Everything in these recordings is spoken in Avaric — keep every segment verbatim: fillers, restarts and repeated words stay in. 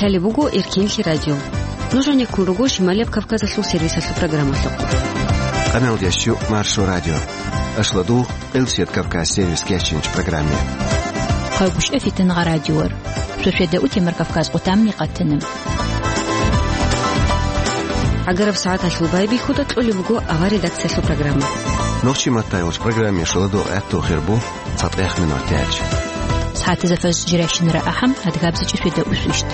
Лъалеб буго Эркинлъи радио. Нуж гьанеккун руго Шималияб Кавказалъул сервисалъул программалъухъ. Къаналдияс щу Маршо радио. Ашладу, Къилсият Кавказ сервис кечинч программе. Хъайгъушъа фитангъа радиор. Шошеда утемар Кавказ къутамни къатана. Агараб сагӀаталъул байбихьуда кьолеб буго авар редакциялъул программа. Нохчи маттайгъуш программе шуладу гӀатту хирбу. Цадгъех минутач. СагӀатизе фаз жирайщинара ахӀам, адгабзичӀеб шведа усвищт.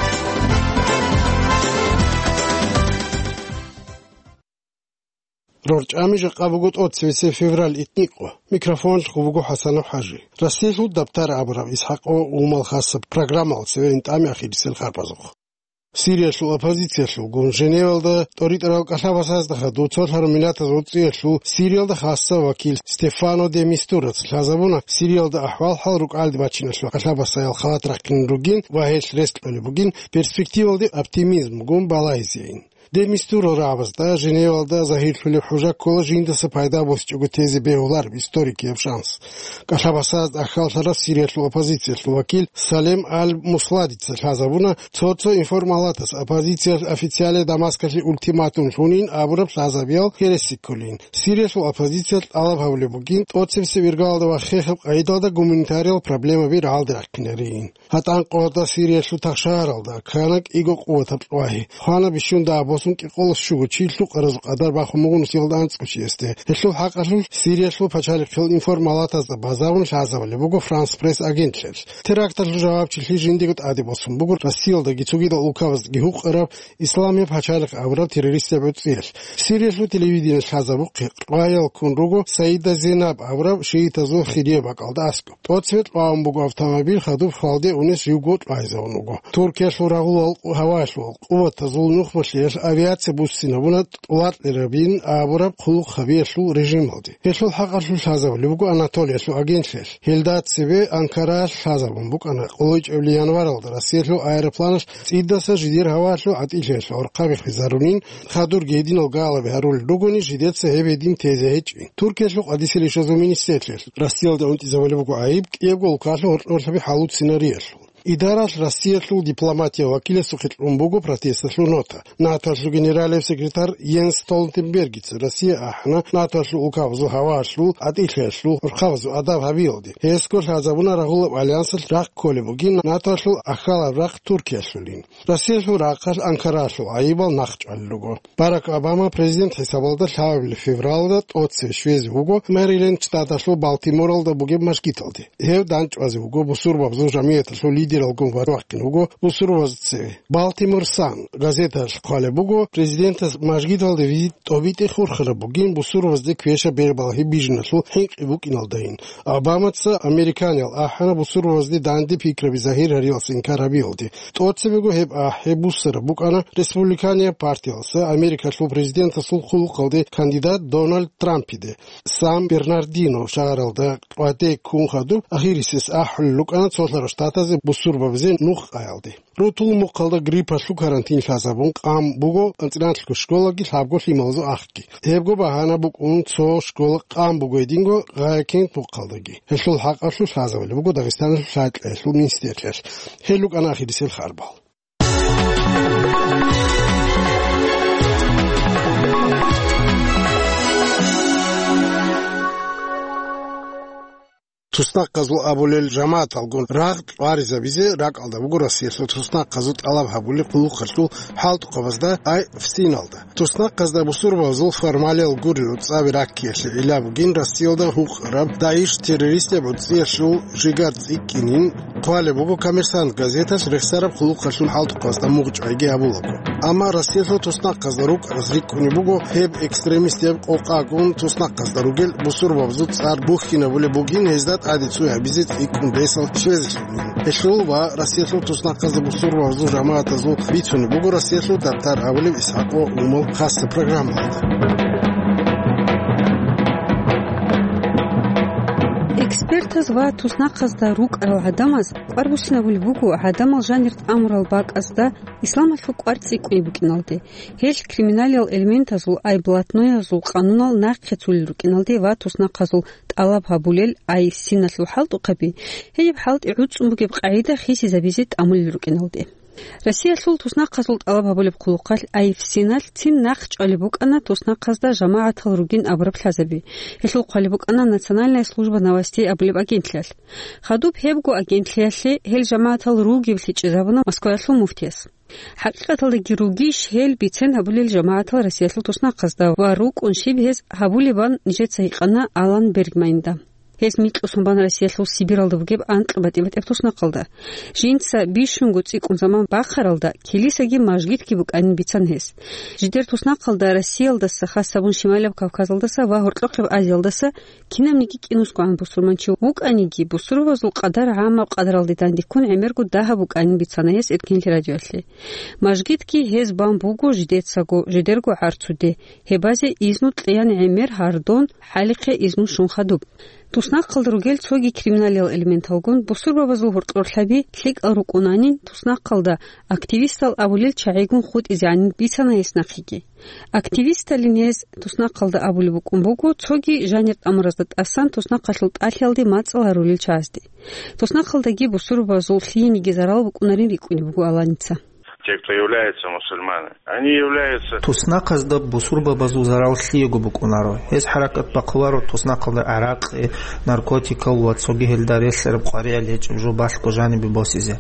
РорчӀами жакъа буго тӀоцевесеб февраль итникъо. Микрофонлъго буго ХӀасанов ХӀажи. Россиялъул дабтар абураб Исхакъо Умал хасаб программал цеве интӀами ахирисел харпазухъ. Сириялъул оппозициялъулгун Женевалда тӀоритӀарал кӀалъабасазда хадув цолъараб миллатаз гӀуцӀиялъул Сириялда хасса вакил Стефано де Мистураца лъазабуна Сириялда ахӀвал-хӀал рукӀалде бачиналъул кӀалъабасаял халат рахъинин ругин ва гьелъ рес кьолеб бугин перспективалде оптимизмгун балагьизейин. Де Мистура рагӀабазда Женевалда загьирлъулеб хӀужа ккола жиндаса пайда босичӀого тезе бегьулареб историкияб шанс. КӀалъабасазда ахьаллъараб Сириялъул оппозициялъул вакил Салем Аль-Мусладица лъазабуна, цо-цо информалатас оппозициялъ официале Дамаскалъе ультиматум лъунин абураб лъазабиял гьереси кколин. Сириялъул оппозициялъ тӀалаб гьабулеб бугин, тӀоцебесеб иргалда ва хехаб къагӀидалда гуманитарияб проблемаби рагӀалде рахъинарейин. ГьатӀан къоялда Сириялъул тахшагьаралда ккана кӀиго къуватаб кьвагьи. Хвана бищун дагьаб босун кӀикъоялда щуго чи лъукъаразул къадар бахун буго нусиялда анцӀго чиясде. Гьелъул хӀакъалъулъ Сириялъул пачалихъил информалатазда базарун лъазабулеб буго Франс Пресс агентлъиялъ. Теракталъул жавабчилъи жиндиего тӀаде босун буго Россиялдаги цогидал улкабаздаги гьукъараб Исламияб пачалихъ абураб террористияб гӀуцӀиялъ. Сириялъул телевидениялъ лъазабухъе кьваял ккун руго Саида Зейнаб абураб шиитазул хирияб бакӀалда аскӀоб. ТӀоцебе кьвагӀун буго автомобиль, хадуб хвалде унес живго кьвайзавун вуго. Туркиялъул рагъулал гьавалъул къуватазул нухмалъиялъ авиация буссинабуна тӀоларкьарабин абураб хъулухъ гьабиялъул режималде. Гьелъул хӀакъалъулъ лъазабулеб буго Анатолиялъул агентлъиялъ. Гьелда цебе Анкараялъ лъазабун букӀана къулайчӀебли январалда Россиялъул аэропланалъ цӀидасан жидер гьавалъул гӀатӀилъиялъул гӀорхъаби хвезарунин, хадурги гьединал галаби гьарулел ругони, жидеца гьеб гьедин тезе гьечӀин. Туркиялъул къадисел ишазул министрлъиялъ Россиялда унтӀизабулеб буго гӀайиб кӀиябго улкалъул гьоркьорлъаби хӀалуцинариясул. Идаралъ Россиялъул дипломатиял вакиласухъе кьун буго протесталъул нота. НАТОлъул генералияб секретарь Йенс Столтенбергица Россия ахӀана НАТОлъул улкабазул гьавалъул гӀатӀилъиялъул гӀорхъабазул адаб гьабиялде. Гьесго лъазабуна рагъулаб альянсалъ рахъ кколеб бугин НАТОлъул ахьалаб рахъ Туркиялъулин. Россиялъул рахъалъ Анкаралъул гӀайибал нахъчӀвалел руго. Барак Обама президент хӀисабалда лъабабилеб февралда тӀоцеве щвезе вуго Мэриленд штаталъул Балтиморалда бугеб мажгиталде. Гьев дандчӀвазе вуго бусурбабазул жамигӀаталъул лидералгун ва вахъине вуго бусурбабазда цеве. Балтимор Сан газеталъ хъвалеб буго, президентас мажгиталде визит тӀобитӀи хурхараб бугин бусурбабазде квешаб бербалъи бижиналъул хӀинкъи букӀиналдайин. Обамаца американиял ахӀана бусурбабазде данде пикраби загьир гьариялъе инкар гьабиялде. ТӀоцебего гьеб ахӀи буссараб букӀана республиканияб партиялъа Америкалъул президентасул хъулухъалде кандидат Дональд Трампиде. Сан-Бернардино шагьаралда къватӀи ккун хадуб ахирисес ахӀулел рукӀана цолъарал штатазе бусурбабазе нух къаялде. Рутул мухъалда гриппалъул карантин лъазабун къан буго анцӀила школаги лъабго лъималазул ахги. Гьебго багьана букӀун цо школа къан буго гьединго Гъаякент мухъалдаги. Гьелъул хӀакъалъулъ лъазабулеб буго Дагъистаналъул лъабкьоялъул министрлъиялъ. Гьел рукӀана ахирисел харбал. Туснахъазул абулел жамагӀаталгун рагъ тӀваризабизе ракӀалда буго Россиялъул туснахъазул тӀалаб гьабулеб хъулухъалъул хӀалтӀухъабазда, ай ФСИНалда. Туснахъазда бусурбабазул формалиял гурел цӀаби раккиялъе гӀилла бугин Россиялда гьукъараб ДАИШ террористияб гӀуцӀиялъул жигар цӀикӀкӀинин хъвалеб буго Коммерсант газеталъ рехсараб хъулухъалъул хӀалтӀухъабазда мугъчӀвайги гьабулаго. Амма Россиялъул туснахъазда рукӀараз рикӀкӀунеб буго гьеб экстремистияб къокъагун туснахъазда ругел бусурбабазул цӀар бухьинабулеб бугин гьезда тӀаде цӀуй гьабизе цӀикӀкӀун бесалъ щвезелъ. Гьелъул ва Россиялъул туснахъазда бусурбабазул жамагӀатазул бицунеб буго Россиялъул дабтар абулеб Исхакъо Умал хасаб программалда. Экспертаз ва туснахъазда рукӀарал гӀадамаз кӀвар буссинабулеб буго гӀадамал жанир тӀамурал бакӀазда исламалъул кӀвар цӀикӀкӀунеб букӀиналде. Гьел криминалиял элементазул, ай блатноязул къанунал нахъе цолел рукӀиналде ва туснахъазул тӀалаб гьабулел, ай ФСИНалъул хӀалтӀухъаби, гьеб хӀалтӀи гӀуцӀун бугеб къагӀида хисизабизе тӀамулел рукӀиналде. Россиялъул туснахъазул тӀалаб гьабулеб хъулухъалъ АИФСИНалъ цин нахъ чӀвалеб букӀана туснахъазда жамагӀатал ругин абураб лъазаби. Гьелъул хъвалеб букӀана Национальная служба новостей абулеб агентлъиялъ. Хадуб гьебго агентлъиялъе гьел жамагӀатал ругиблъи чӀезабуна Москваялъул муфтияс. ХӀакъикъаталдаги ругищ гьел бицен гьабулел жамагӀатал Россиялъул туснахъазда ва рукӀун щиб гьез гьабулебан нижеца гьикъана Алан Бергманда. Гьез микьусон бан Россиялъул Сибиралда бугеб анкь батӀи-батӀияб туснахъалда. Жинца бищунго цӀикӀкӀун заман бахъаралда, килисаги мажгитги букӀанин бицана гьес. Жидер туснахъалда Россиялдаса, хас гьабун Шималаб Кавказалдаса ва Гьоркьохъеб Азиялдаса кинабниги кӀинусгогӀан бусурманчи вукӀаниги, бусурбабазул къадар гӀаммаб къадаралде дандеккун гӀемерго дагьаб букӀанин бицана гьес Эркенлъи радиоялъе. Мажгитги гьез бан буго жидецаго, жидерго гӀарцуде, гьебазе изну кьеян гӀемер гьардон, хӀалихъе изну щун хадуб. Туснахъалда ругел цоги криминалиял элементалгун бусурбабазул гьоркьорлъаби лъикӀал рукӀунанин, туснахъалда активистал абулел чагӀигун хутӀизегӀанин бицана гьес нахъеги. Активисталин гьез туснахъалда абулеб букӀун буго, цоги жанир тӀамуразда тӀасан туснахъалъул тӀалъиялде мацӀал гьарулел чагӀазде. Туснахъалдаги бусурбабазул лъиениги зарал букӀунарин рикӀкӀунеб буго Аланица. Те, кто является мусульманами, они являются... Туснахъазда бусурбабазул зарал лъиего букӀунаро. Гьез хӀаракат бахъуларо туснахъалда гӀаракъи, наркотикал ва цоги гьелда релълъараб къваригӀел гьечӀеб жо балъго жанибе босизе.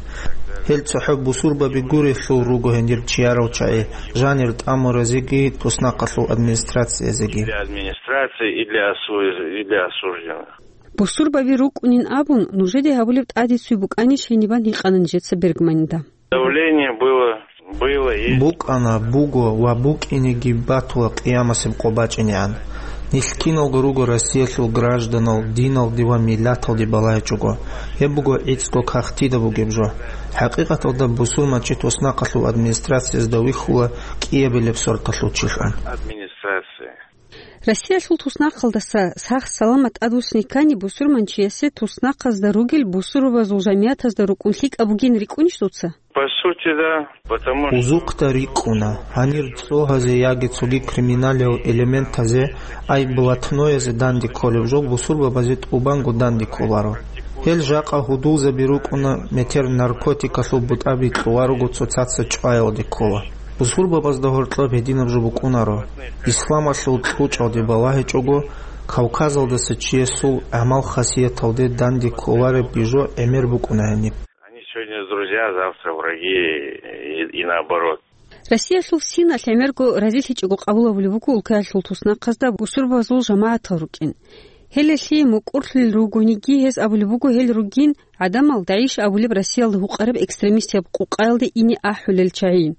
Гьел цохӀо бусурбаби гурелъул руго гьенир чиярал чагӀи, жанир тӀамуразеги туснахъалъул администрациязеги. Для администрации и для осу-, и для осужденных. Бусурбаби рукӀунин абун, нужеде гьабулеб тӀадицуй букӀанищ гьенибан гьикъана нижеца Бергманда. Давление было, было и... БукӀана, буго ва букӀинеги батула къиямасеб къо бачӀинегӀан. Нилъ киналго руго Россиялъул гражданал, диналде ва миллаталде балагьичӀого. Гьеб буго гӀицӀго кагътида бугеб жо. ХӀакъикъаталда бусурманчи туснахъалъул администрациязда вихьула кӀиабилеб сорталъул чилъун. Администрация. Россиялъул туснахъалдаса сах-саламат тӀадвуссине ккани бусурманчиясе туснахъазда ругел бусурбабазул жамиятазда рукӀун лъикӀаб бугин рикӀкӀунищ дуца? По сути, да, потому что... Узухъда рикӀкӀуна, гьанир цогьазе яги цоги криминалиял элементазе, ай блатноязе данде кколеб жо бусурбабазе тӀубанго данде кколаро. Гьел жакъа гьудулзаби рукӀуна метер наркотикалъул бутӀаби кьула руго цоцаца чӀваялде ккола. Бусурбабазда гьоркьоб гьединаб жо букӀунаро. Исламалъул кьучӀалде балагьичӀого, Кавказалдаса чиясул гӀамал-хасияталде данде кколаребги жо гӀемер букӀуна гьаниб. Они сегодня друзья, завтра враги и, и наоборот. Россиялъул синалъ гӀемерго разилъичӀого къабул гьабулеб буго улкаялъул туснахъазда бусурбабазул жамагӀатал рукӀин. Гьелелъи мукӀурлъулел ругониги, гьез абулеб буго гьел ругин гӀадамал ДАИШ абулеб Россиялда гьукъараб экстремистияб къукъаялде ине ахӀулел чагӀийин.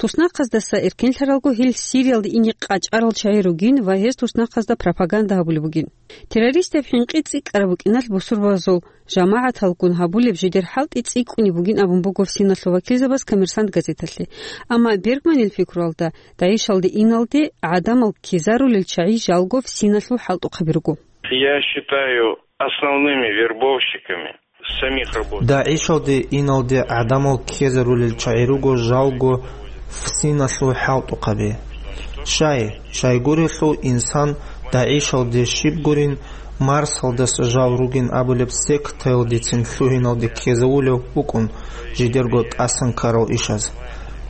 Туснахъаздаса эркенлъаралго гьел Сириялда ине къачӀарал чагӀи ругин ва гьез туснахъазда пропаганда гьабулеб бугин. Террористияб хӀинкъи цӀикӀкӀараб букӀиналъ бусурбабазул жамагӀаталгун гьабулеб жидер хӀалтӀи цӀикӀкӀунеб бугин абун буго синалъул вакилзабаз «Коммерсант» газеталъе. Амма Бергманил пикруялда, ДАИШалде иналде гӀадамал ккезарулел чагӀи жалго синалъул хӀалтӀухъаби руго. Я считаю основными вербовщиками самих работников. ДАИШалде иналде гӀадамал ккезарулел чагӀи руго жалго синалъул хӀалтӀухъаби. Щай, щайгурелъул инсан ДАИШалде щиб гурин, Марсалдаса жал ругин абулеб сектаялдецин лъугьиналде ккезавулев вукӀун жидерго тӀасан ккарал ишаз.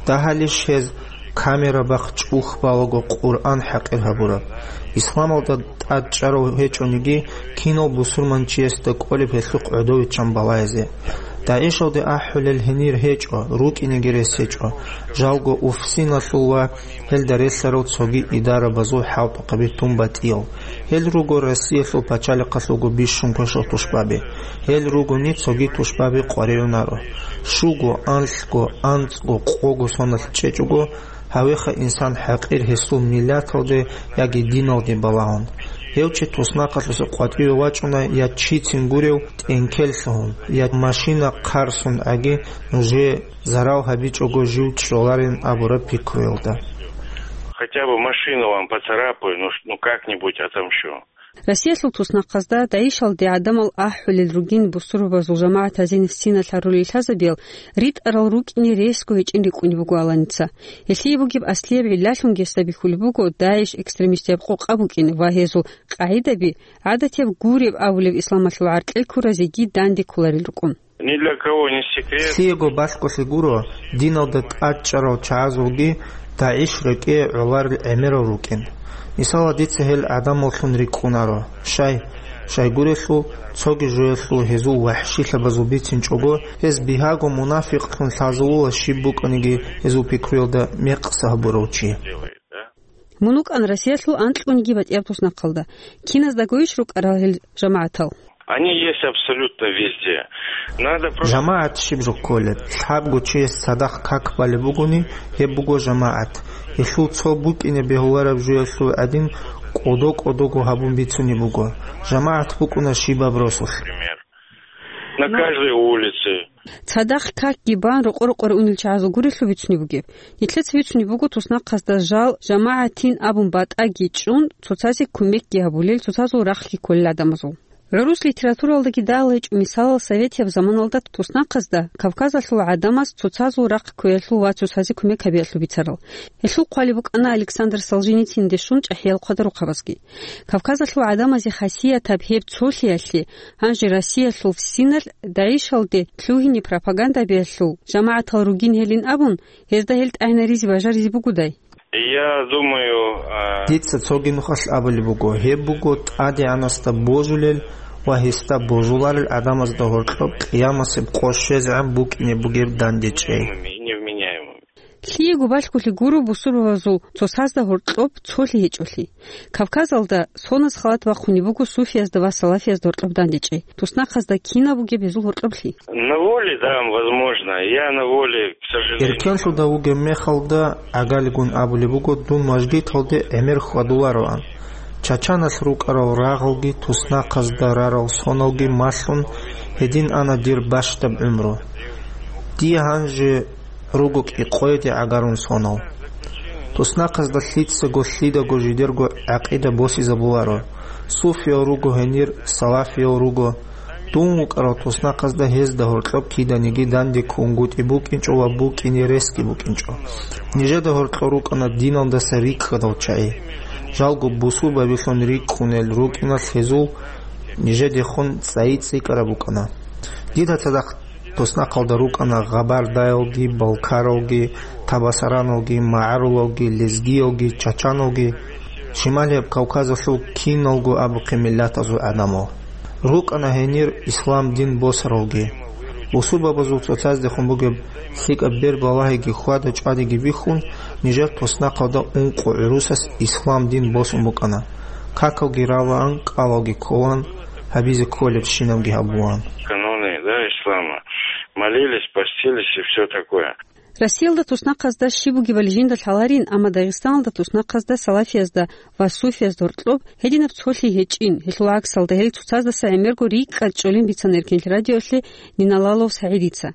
Дагьалищ гьез камера бахъ чӀухь балаго Къуръан хӀакъир гьабураб? Исламалда тӀад чӀарав гьечӀониги, кинав бусурманчиясда кӀолеб гьелъухъ гӀодовиччан балагьизе? ДАИШалде ахӀулел гьенир гьечӀо, рукӀинеги рес гьечӀо. Жалго УФСИНалъул ва гьелда релълъарал цоги идарабазул хӀалтӀухъаби тун батӀиял. Гьел руго Россиялъул пачалихъалъулго бищун квешал тушбаби. Гьел ругони цоги тушбаби къваригӀунаро. Щуго, анлъго, анцӀго, къого соналъ чӀечӀого, гьавеха инсан хӀакъир гьесул миллаталде яги диналде балагьун. Гьев чи туснахъалъуса къватӀиве вачӀуна я чицин гурев тӀенкел лъугьун, я машина хъарсун гӀаги нужее зарал гьабичӀого жив чӀоларин абураб пикруялда. Хотя бы машину вам поцарапаю, ну, ш-, ну как-нибудь отомщу. Россиялъул туснахъазда ДАИШалде гӀадамал ахӀулел ругин бусурбабазул жамагӀатазин синалъ гьарулел лъазабиял ритӀарал рукӀине ресго гьечӀин рикӀкӀунеб буго Аланица. Гьелъие бугеб аслияб гӀиллалъунги гьесда бихьулеб буго ДАИШ экстремистияб къокъа букӀин ва гьезул къагӀидаби гӀадатияб гуреб абулеб исламалъул гӀаркьел ккуразеги данде кколарел рукӀун. Ни для кого не секрет. Лъиего балъголъи гуро, диналда тӀадчӀарал чагӀазулги ДАИШ рекӀее гӀоларел гӀемерал рукӀин. Мисалал, дица гьел гӀадамаллъун рикӀкӀунаро. Щай? Щайгурелъул, цоги жоялъул гьезул вахӀшилъабазул бицинчӀого, гьез бигьаго мунафикълъун лъазулула щиб букӀаниги гьезул пикруялда мекъса гьабурав чи. Мун вукӀан Россиялъул анкьгониги батӀияб туснахъалда. Киназдагойищ рукӀарал гьел жамагӀатал? Они есть абсолютно везде. Надо просто... ЖамагӀат щиб жо кколеб? Лъабго чияс цадахъ как балеб бугони, гьеб буго жамагӀат. Гьелъул цо букӀине бегьулареб жоялъул гӀадин, кӀодо-кӀодого гьабун бицунеб буго. ЖамагӀат букӀуна щибаб росулъ. Пример. На... Ну, каждой улице. Цадахъ какги бан рокъо-рокъоре унел чагӀазул гурелъул бицунеб бугеб. Нилъеца бицунеб буго туснахъазда жал жамагӀатин абун батӀаги чӀун, цоцазе кумекги гьабулел, цоцазул рахъги кколел гӀадамазул. ГӀурус литературалдаги дагьал гьечӀо мисалал советияб заманалда туснахъазда Кавказалъул гӀадамаз цоцазул рахъ кквеялъул ва цоцазе кумек гьабиялъул бицарал. Гьелъул хъвалеб букӀана Александр Солженицинде щун чӀахӀиял хъвадарухъабазги. Кавказалъул гӀадамазе хасиятаб гьеб цолъиялъе, гьанже Россиялъул синалъ ДАИШалде лъугьине пропаганда гьабиялъул жамагӀатал ругин гьелин абун, гьезда гьел тӀагӀинаризе бажаризе бугодай? Я думаю, а... Дица цоги нухалъ абулеб буго, гьеб буго ТӀадегӀанасда божулел ва гьесда божуларел гӀадамазда гьоркьоб къиямасеб къо щвезегӀан букӀине бугеб дандечӀей. Невменяемыми. Лъиего балъголъи гуро бусурбабазул цоцазда гьоркьоб цолъи гьечӀолъи. Кавказалда соназ халат бахъунеб буго суфиязда ва салафиязда гьоркьоб дандечӀей. Туснахъазда кинаб бугеб гьезул гьоркьоблъи? На воле, да, возможно. Я на воле, к сожалению. Эркенлъуда вугеб мехалда, гӀагалигун абулеб буго, дун мажгиталде гӀемер хьвадулароан. Чачаналъ рукӀарал рагъалги, туснахъазда рарал соналги малъун, гьедин ана дир бащдаб гӀумру. Дие гьанже руго кӀикъоеде гӀагарун сонал. Туснахъазда лъицаго лъидаго жидерго гӀакъида босизабуларо. Суфиял руго гьенир, салафиял руго. Дун вукӀарал туснахъазда гьезда гьоркьоб киданиги данде ккунгутӀи букӀинчӀо ва букӀине ресги букӀинчӀо. Нижеда гьоркьор рукӀана диналдаса рикӀкӀадал чагӀи. Жалго бусурбабилъун рикӀкӀунел рукӀиналъ гьезул нижедехун цӀайи цӀикӀкӀараб букӀана. Дида цадахъ туснахъалда рукӀана гъабардаялги, балкаралги, табасараналги, магӀарулалги, лезгиялги, чачаналги, Шималияб Кавказалъул киналго абухъе миллатазул гӀадамал. РукӀана гьенир ислам дин босаралги. Бусурбабазул цоцаздехун бугеб лъикӀаб бер-балагьиги хьвада-чӀвадиги бихьун, нижер туснахъалда ункъо гӀурусас ислам дин босун букӀана. Какалги ралаан, кӀалалги кколаан, гьабизе кколебщинабги гьабулаан. Каноны, да, ислама. Молились, постились и всё такое. Россиялда туснахъазда щиб бугебали жинда лъаларин, амма Дагъистаналда туснахъазда салафиязда ва суфиязда гьоркьоб гьединаб цолъи гьечӀин, гьелъул гӀаксалда гьел цоцаздаса гӀемерго рикӀкӀад чӀолин бицана Эркенлъи радиолъе Ниналалов СагӀидица.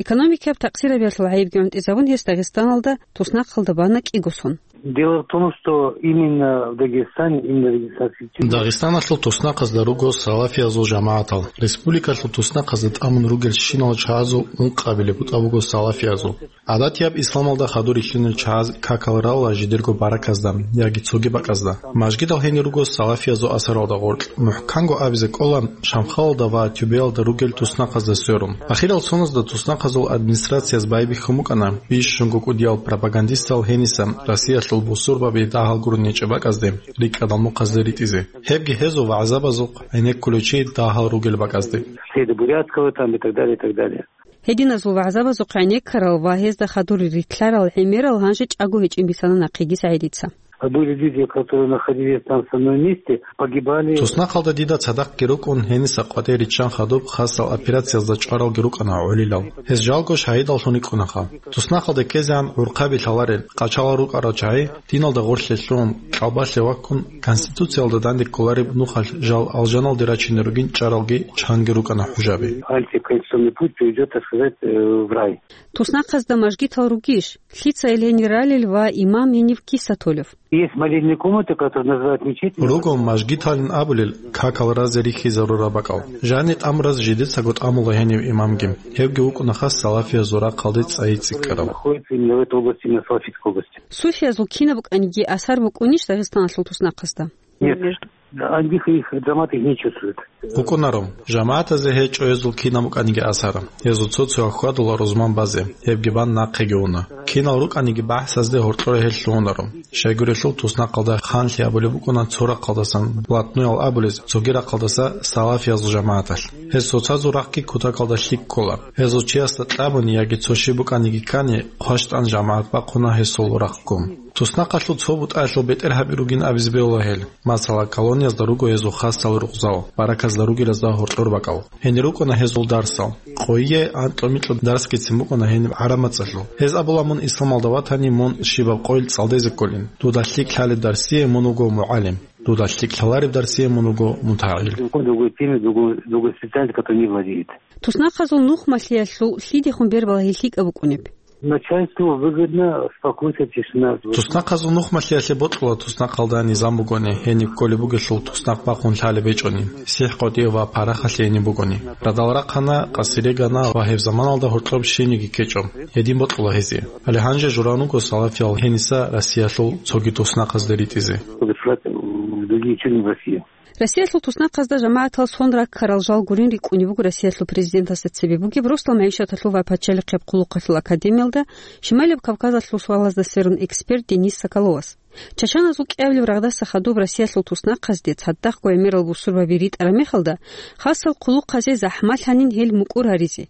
Экономикияб такъсирабиялъул гӀайибги гӀунтӀизабун гьес Дагъистаналда туснахъалда бана кӀиго сон. Дело в том, что именно в Дагестане, именно в Дагестанской... Дагъистаналъул туснахъазда руго салафиязул жамагӀатал. Республикалъул туснахъазда тӀамун ругелщинал чагӀазул ункъабилеб бутӀа буго салафиязул. ГӀадатияб исламалда хадур рилълъунел чагӀаз какал рала жидерго бараказда яги цоги бакӀазда. Мажгидал гьенир руго салафиязул асаралда гъоркь. МухӀканго абизе кӀола, Шамхалалда ва Тюбеялда ругел туснахъазда сверун. Ахирал соназда туснахъазул администрацияз байбихьун букӀана бищунго кӀудиял пропагандистал гьениса Россиялъул бусурбаби дагьал гурони чӀебакӀазде, рикӀкӀадал мухъазде ритӀизе. Гьебги гьезул вагӀзабазухъ гӀенеккулев чи дагьал ругел бакӀазде. Среды Бурятского там и так далее, и так далее. Гьединазул вагӀзабазухъ гӀенеккарал ва гьезда хадур рилълъарал гӀемерал гьанже чӀаго гьечӀин бицана нахъеги СагӀидица. А были люди, которые находились там в самом месте, погибали. Туснахъалда дида цадахъги рукӀун, гьениса къватӀир риччан хадуб хасал операциязда чӀваралги рукӀана гӀолилал. Гьез жалго шагьидаллъун рикӀкӀунаха. Туснахъалде ккезегӀан гӀурхъаби лъаларел, къачалал рукӀарал чагӀи, диналда гъорлъе лъун, кьалбалъе ваккун, Конституциялда данде кколареб нухалъ жал алжаналде рачине ругин чӀаралги чанги рукӀана хӀужаби. Антиконституционный путь приведёт, так сказать, э, в рай. Туснахъазда мажгитал ругищ? Лъица ил гьенир ралел ва имам гьенив киса толев? Есть молельные комнаты, которые называют мечетями. Руго мажгиталин абулел какал разе рихьизарураб бакӀал. Жанир тӀамураз жидецаго тӀамула гьенив имамги. Гьевги вукӀунаха салафиязул рахъалде цӀайи цӀикӀкӀарав. Находится именно в этой области, именно в Салафитской области. Суфиязул кинаб букӀаниги асар букӀунищ Дагъистаналъул туснахъазда? Нет. Они их, их, жамаат их не чувствует. БукӀунаро, жамагӀатазе гьечӀо гьезул кинаб букӀаниги асар. Гьезул цо-цоял хьвадула рузман базе, гьебги бан нахъеги уна. Кинал рукӀаниги бахӀсазде гьоркьоре гьел лъугьунаро. Щайгурелъул туснахъалда ханлъи абулеб букӀуна цо рахъалдасан блатноял абулез, цоги рахъалдаса салафиязул жамагӀаталъ. Гьез цоцазул рахъги кутакалда лъикӀ ккола. Гьезул чиясда кьабуни яги цо щиб букӀаниги ккани, хъващтӀан жамагӀат бахъуна гьесул рахъго. Туснахъалъул цо бутӀаялъул бетӀергьаби ругин абизе бегьула гьел. Масала, колониязда руго гьезул хасал рукъзал, бараказда ругелазда гьоркьор бакӀал. Гьенир рукӀуна гьезул дарсал. Къойие анкьго-микьго дарсгицин букӀуна гьениб гӀараб мацӀалъул. Гьез абула, мун исламалда ватани, мун щибаб къойил цӀалдезе кколин. Дуда лъикӀ лъалеб дарсие мун вуго мугӀалим. Дуда лъикӀ лъалареб дарсие мун вуго мутагӀил. Другой, другой темы, другой, другой специальности, который не владеет. Туснахъазул нухмалъиялъул лъидехун бербалагьи лъикӀаб букӀунеб? Начальству выгодно спокойствие, тишина. Туснахъазул нухмалъиялъе бокьула туснахъалда низам бугони, гьениб кколеб бугелъул туснахъ бахъун лъалеб гьечӀони, сихӀ-къотӀи ва парахалъи гьениб бугони. Радал рахъана, къасире гана ва гьеб заманалда гьоркьоб щибниги ккечӀо. Гьедин бокьула гьезие. Гьале гьанже жураго салафиял гьениса Россиялъул цоги туснахъазде ритӀизе. Подослать в другие части России. Россиялъул туснахъазда жамагӀатал сон раккарал жал гурин рикӀкӀунеб буго Россиялъул президентасда цебе бугеб Росдал магӀишаталъул ва пачалихъеб хъулухъалъул академиялда Шималияб Кавказалъул суалазда сверун эксперт Денис Соколовас. Чачаназул кӀиабилеб рагъдаса хадуб Россиялъул туснахъазде цадахъго гӀемерал бусурбаби ритӀараб мехалда, хасал хъулухъазе захӀмалъанин гьел мукӀур гьаризе.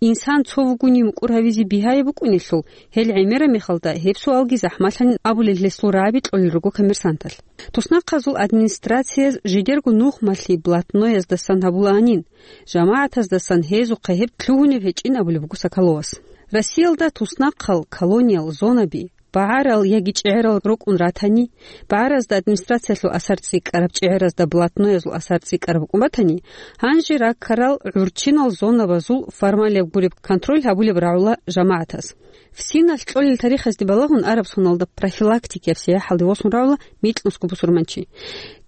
Инсан цо вугони мукӀур гьавизе бигьаяб букӀунелъул, гьел гӀемераб мехалда гьеб суалги захӀмалъанин абулел гьесул рагӀаби кьолел руго Коммерсанталъ. Туснахъазул администрациялъ жидерго нухмалъи блатнояздасан гьабулаанин, жамагӀатаздасан гьезухъа гьеб лъугьунеб гьечӀин абулеб буго Соколовас. Россиялда туснахъал, колониял, зонаби, багӀарал яги чӀегӀерал рукӀун ратани, багӀаразда администрациялъул асар цӀикӀкӀараб, чӀегӀеразда блатноязул асар цӀикӀкӀараб букӀун батани, гьанже раккарал гӀурччинал зонабазул формалияб гуреб контроль гьабулеб рагӀула жамагӀатаз. ФСИНалъ кьолел тарихазде балагьун, араб соналда профилактикияб сияхӀалде восун рагӀула микьнусго бусурманчи.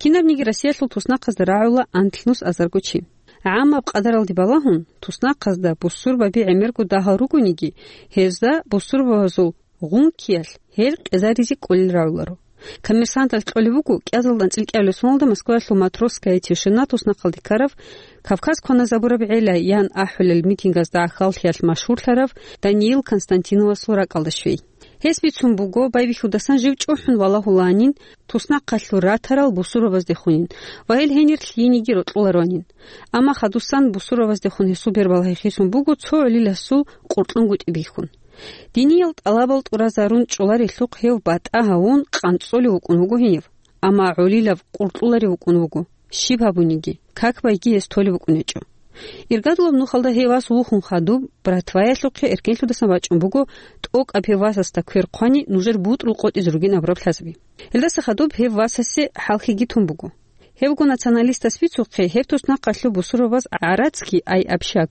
Кинабниги Россиялъул туснахъазда рагӀула анлънус азарго чи. ГӀамаб къадаралде балагьун, туснахъазда бусурбаби гӀемерго дагьал ругониги, гьезда бусурбабазул гъункиялъ гьел къезаризе кӀолел рагӀуларо. Коммерсанталъ кьолеб буго, кӀиазалда анцӀила кӀиабилеб соналда Москваялъул «Матросская тишина» туснахъалде ккарав, «Кавказ кваназабураб гӀела» ян ахӀулел митингазда гӀахьаллъиялъ машгьурлъарав Даниил Константиновасул ракӀалда щвей. Гьес бицун буго, байбихьудасан жив чӀухӀун валагьулаанин, туснахъалъур ратарал бусурбабаздехунин ва гьел гьенир лъиениги рокьулароанин. Амма хадусан бусурбабаздехун гьесул бербалагьи хисун буго цо гӀолиласул къуркьунгутӀи бихьун. Диниял тӀалабал тӀуразарун чӀоларелъухъ гьев батӀа гьавун къанцӀолев вукӀун вуго гьенив. Амма гӀолилав къуркьуларев вукӀун вуго. Щиб гьабуниги, как байги гьес толеб букӀун гьечӀо. Иргадулаб нухалда гьев вас вухун хадуб, братваялъухъе эркенлъудасан вачӀун буго, тӀокӀаб гьев васасда квер хъвани, нужер бутӀрул къотӀизе ругин абураб лъазаби. Гьелдаса хадуб гьев васасе хӀалхьиги тун буго. Гьебго националистас бицухъе, гьеб туснахъалъув бусурбабаз гӀарацги, ай общак,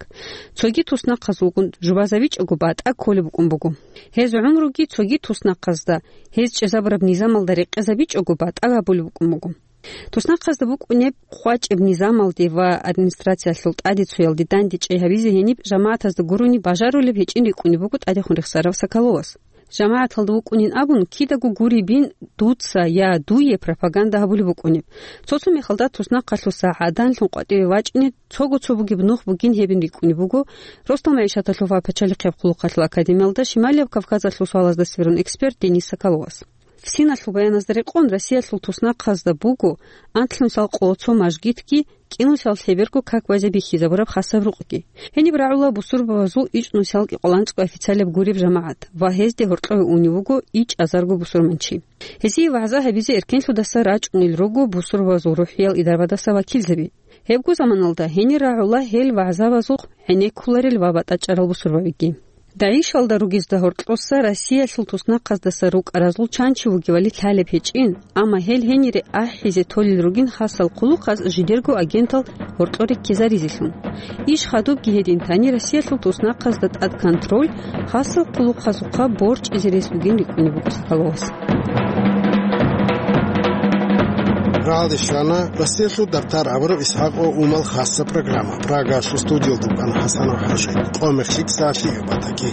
цоги туснахъазулгун жубазабичӀого батӀа кколеб букӀун буго. Гьез гӀумруги цоги туснахъазда, гьез чӀезабураб низамалда рекъезабичӀого батӀа гьабулеб букӀун буго. Туснахъазда букӀунеб къвачӀеб низамалде ва администрациялъул тӀадецуялде дандечӀей гьабизе гьениб жамагӀатазда гурони бажарулеб гьечӀин рикӀкӀунеб буго тӀадехун рехсарав Соколовас. ЖамагӀаталда вукӀунин абун, кидаго гуребин дуца я дуе пропаганда гьабулеб букӀунеб. Цо-цо мехалда туснахъалъуса гӀаданлъун къватӀиве вачӀине цого-цо бугеб нух бугин гьебин рикӀкӀунеб буго Росдал магӀишаталъул ва пачалихъияб хъулухъалъул академиялда Шималияб Кавказалъул суалазда сверун эксперт Денис Соколовас. ФСИНалъул баяназда рекъон, Россиялъул туснахъазда буго анлънусал къоло цо мажгитги, кӀинусал лъеберго как базе бихьизабураб хасаб рукъги. Гьениб рагӀула бусурбабазул ичӀнусал кӀикъоялда анцӀго официалаб гуреб жамагӀат ва гьезде гьоркьове унев вуго ичӀазарго бусурманчи. Гьезие вагӀза гьабизе эркенлъудаса рачӀунел руго бусурбабазул рухӀиял идарабаздаса вакилзаби. Гьебго заманалда гьенир рагӀула гьел вагӀзабазухъ гӀенеккуларел ва батӀачӀарал бусурбабиги. ДАИШалда ругезда гьоркьоса Россиялъул туснахъаздаса рукӀаразул чан чи вугевали лъалеб гьечӀин, амма гьел гьенире ахӀизе толел ругин хасал хъулухъаз жидерго агентал гьоркьоре ккезаризелъун. Иш хадубги гьедин тани Россиялъул туснахъазда тӀад контроль, хасал хъулухъазухъа борчӀизе рес бугин рикӀкӀунеб буго Соколовас. Рагьалде щвана Россиялъул дартар абураб Исхакъ ва Умал хасса программа. Прагалъул студиялда вукӀана ХӀасанов ХӀажи. Къо-мех лъикӀ, сагӀат лъикӀаб батаги.